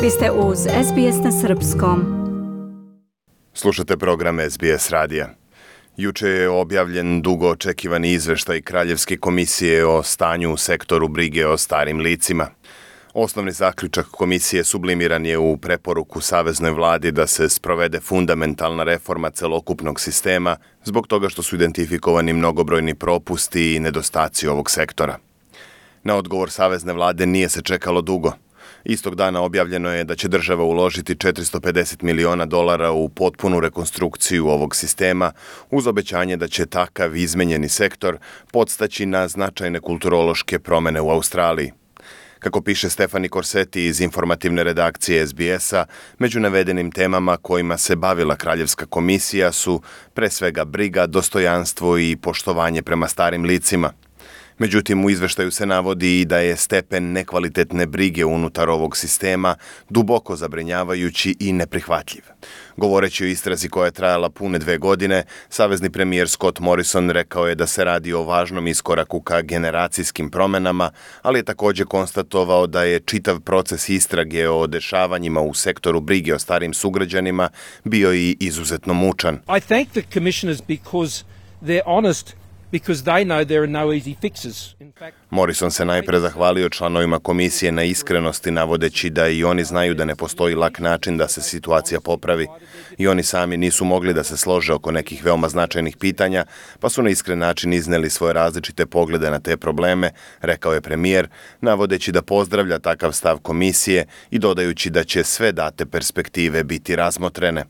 Vi ste uz SBS na Srpskom. Slušate program SBS radija. Juče je objavljen dugo očekivani izveštaj Kraljevske komisije o stanju u sektoru brige o starim licima. Osnovni zaključak komisije sublimiran je u preporuku Saveznoj vladi da se sprovede fundamentalna reforma celokupnog sistema zbog toga što su identifikovani mnogobrojni propusti i nedostaci ovog sektora. Na odgovor Savezne vlade nije se čekalo dugo. Istog dana objavljeno je da će država uložiti $450 miliona u potpunu rekonstrukciju ovog sistema, uz obećanje da će takav izmenjeni sektor podstaći na značajne kulturološke promene u Australiji. Kako piše Stefani Korseti iz informativne redakcije SBS-a, među navedenim temama kojima se bavila Kraljevska komisija su pre svega briga, dostojanstvo i poštovanje prema starim licima. Međutim, u izveštaju se navodi i da je stepen nekvalitetne brige unutar ovog sistema duboko zabrinjavajući i neprihvatljiv. Govoreći o istrazi koja je trajala pune 2 godine, savezni premijer Scott Morrison rekao je da se radi o važnom iskoraku ka generacijskim promenama, ali je također konstatovao da je čitav proces istrage o dešavanjima u sektoru brige o starim sugrađanima bio i izuzetno mučan. I thank the commissioners because they're honest. Because they know there are no easy fixes. Morrison se najpre zahvalio članovima komisije na iskrenosti, navodeći da i oni znaju da ne postoji lak način da se situacija popravi. I oni sami nisu mogli da se slože oko nekih veoma značajnih pitanja, pa su na iskren način izneli svoje različite poglede na te probleme, rekao je premijer, navodeći da pozdravlja takav stav komisije i dodajući da će sve date perspektive biti razmotrene.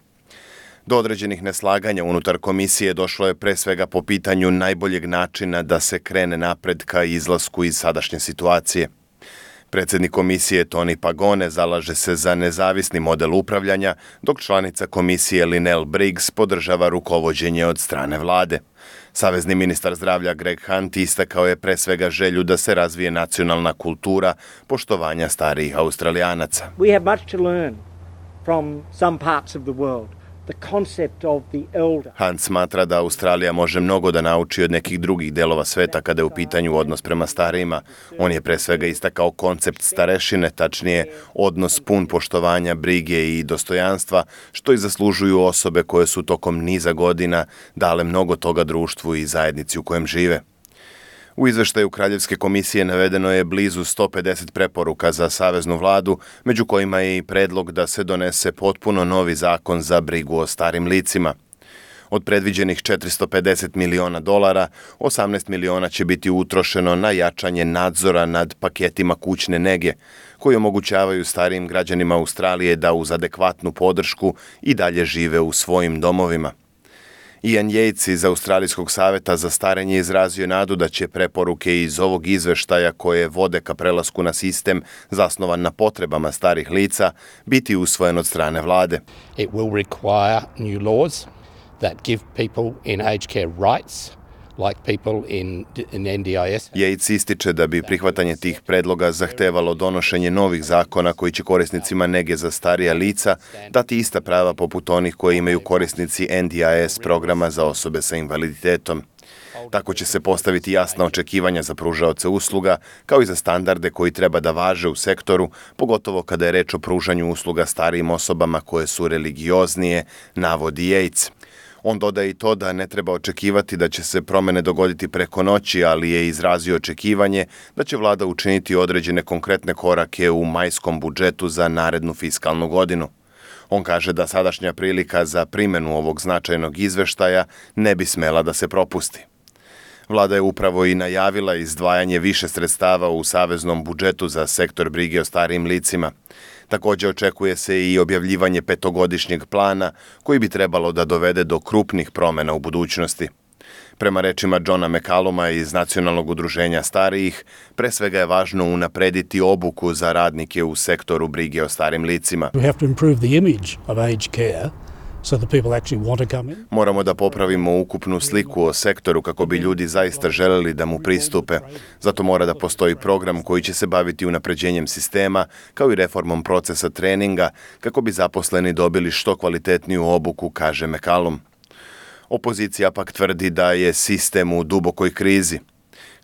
Do određenih neslaganja unutar komisije došlo je pre svega po pitanju najboljeg načina da se krene napred ka izlasku iz sadašnje situacije. Predsjednik komisije Tony Pagone zalaže se za nezavisni model upravljanja, dok članica komisije Lynelle Briggs podržava rukovođenje od strane vlade. Savezni ministar zdravlja Greg Hunt istakao je pre svega želju da se razvije nacionalna kultura poštovanja starijih Australijanaca. We have much to learn from some parts of the world. Hunt smatra da Australija može mnogo da nauči od nekih drugih delova sveta kada je u pitanju odnos prema starijima. On je pre svega istakao koncept starešine, tačnije odnos pun poštovanja, brige i dostojanstva, što i zaslužuju osobe koje su tokom niza godina dale mnogo toga društvu i zajednici u kojem žive. U izveštaju Kraljevske komisije navedeno je blizu 150 preporuka za saveznu vladu, među kojima je i predlog da se donese potpuno novi zakon za brigu o starim licima. Od predviđenih $450 miliona, 18 miliona će biti utrošeno na jačanje nadzora nad paketima kućne nege, koji omogućavaju starijim građanima Australije da uz adekvatnu podršku i dalje žive u svojim domovima. Ian Yates iz Australijskog saveta za starenje izrazio nadu da će preporuke iz ovog izveštaja koje vode ka prelasku na sistem zasnovan na potrebama starih lica biti usvojen od strane vlade. It will require new laws that give people in aged care rights like people in NDIS. Yates ističe da bi prihvatanje tih predloga zahtevalo donošenje novih zakona koji će korisnicima nege za starija lica dati ista prava poput onih koje imaju korisnici NDIS programa za osobe sa invaliditetom. Tako će se postaviti jasna očekivanja za pružaoce usluga, kao i za standarde koji treba da važe u sektoru, pogotovo kada je reč o pružanju usluga starijim osobama koje su religioznije, navodi Yates. On dodaje i to da ne treba očekivati da će se promene dogoditi preko noći, ali je izrazio očekivanje da će vlada učiniti određene konkretne korake u majskom budžetu za narednu fiskalnu godinu. On kaže da sadašnja prilika za primjenu ovog značajnog izveštaja ne bi smela da se propusti. Vlada je upravo i najavila izdvajanje više sredstava u saveznom budžetu za sektor brige o starijim licima. Također očekuje se i objavljivanje 5-godišnjeg plana koji bi trebalo da dovede do krupnih promjena u budućnosti. Prema rečima Johna McCalluma iz Nacionalnog udruženja starijih, pre svega je važno unaprediti obuku za radnike u sektoru brige o starim licima. We have to improve the image of aged care. So that people actually want to come in. Moramo da popravimo ukupnu sliku o sektoru kako bi ljudi zaista želeli da mu pristupe. Zato mora da postoji program koji će se baviti unapređenjem sistema, kao i reformom procesa treninga, kako bi zaposleni dobili što kvalitetniju obuku, kaže McCallum. Opozicija pak tvrdi da je sistem u dubokoj krizi.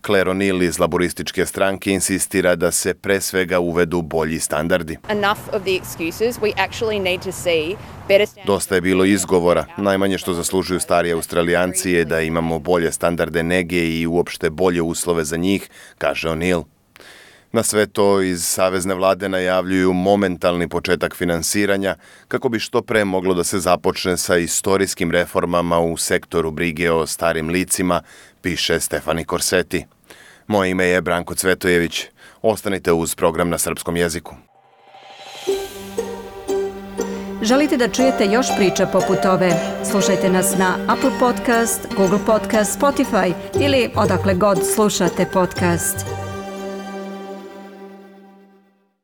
Claire O'Neill iz laborističke stranke insistira da se pre svega uvedu bolji standardi. Enough of the excuses. We actually need to see better standards. Dosta je bilo izgovora. Najmanje što zaslužuju stari Australijanci je da imamo bolje standarde nege i uopšte bolje uslove za njih, kaže O'Neill. Na sve to iz savezne vlade najavljuju momentalni početak finansiranja kako bi što pre moglo da se započne sa istorijskim reformama u sektoru brige o starim licima, piše Stefani Korseti. Moje ime je Branko Cvetojević. Ostanite uz program na srpskom jeziku. Želite da čujete još priča poput ove? Slušajte nas na Apple Podcast, Google Podcast, Spotify ili odakle god slušate podcast.